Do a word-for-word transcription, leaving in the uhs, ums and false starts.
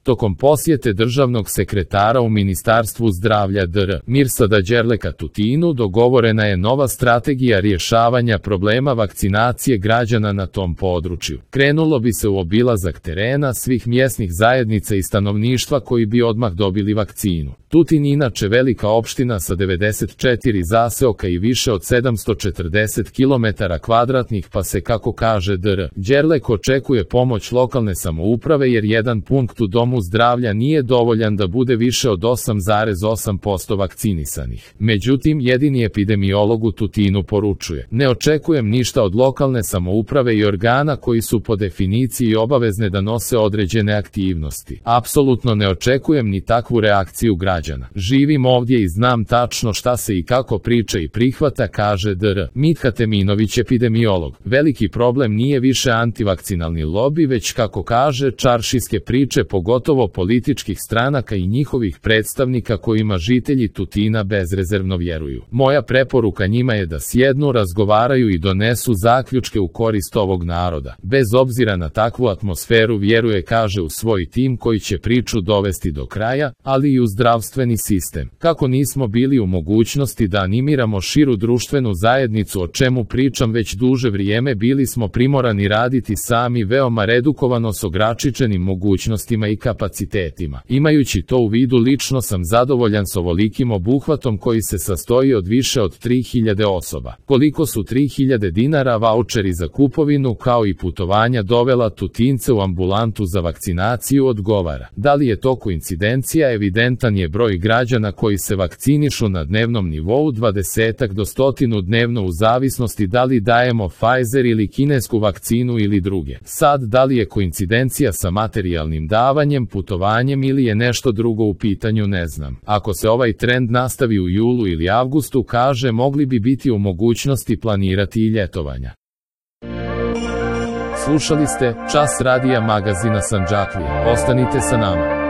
Tokom posjete državnog sekretara u Ministarstvu zdravlja dr Mirsada Đerleka Tutinu dogovorena je nova strategija rješavanja problema vakcinacije građana na tom području. Krenulo bi se u obilazak terena svih mjesnih zajednica i stanovništva koji bi odmah dobili vakcinu. Tutin inače velika opština sa devedeset četiri zaseoka i više od sedamsto četrdeset kilometara kvadratnih, pa se, kako kaže dr Đerlek, očekuje pomoć lokalne samouprave jer jedan punkt u domu zdravlja nije dovoljan da bude više od osam zarez osam posto vakcinisanih. Međutim, jedini epidemiolog u Tutinu poručuje: ne očekujem ništa od lokalne samouprave i organa koji su po definiciji obavezne da nose određene aktivnosti. Apsolutno ne očekujem ni takvu reakciju građana. Živim ovdje i znam tačno šta se i kako priča i prihvata, kaže dr Mitha Teminović, epidemiolog. Veliki problem nije više antivakcinalni lobi, već, kako kaže, čaršijske priče, pogotovo političkih stranaka i njihovih predstavnika kojima žitelji Tutina bezrezervno vjeruju. Moja preporuka njima je da sjednu, razgovaraju i donesu zaključke u korist ovog naroda. Bez obzira na takvu atmosferu vjeruje, kaže, u svoj tim koji će priču dovesti do kraja, ali i u zdravstveni sistem. Kako nismo bili u mogućnosti da animiramo širu društvenu zajednicu, o čemu pričam već duže vrijeme, bili smo primorani raditi sami, veoma redukovano, s ograničenim mogućnostima i kapacitetima. Imajući to u vidu, lično sam zadovoljan s ovolikim obuhvatom koji se sastoji od više od tri hiljade osoba. Koliko su tri hiljade dinara vaučeri za kupovinu kao i putovanja dovela Tutince u ambulantu za vakcinaciju, odgovara. Da li je to koincidencija? Evidentan je broj građana koji se vakcinišu na dnevnom nivou, dvadesetak do stotinu dnevno, u zavisnosti da li dajemo Pfizer ili kinesku vakcinu ili druge. Sad, da li je koincidencija sa materijalnim davanjem, putovanjem ili je nešto drugo u pitanju, ne znam. Ako se ovaj trend nastavi u julu ili avgustu, kaže, mogli bi biti u mogućnosti planirati i ljetovanja. Slušali ste Čas radija magazina Sandžaklija. Ostanite sa nama.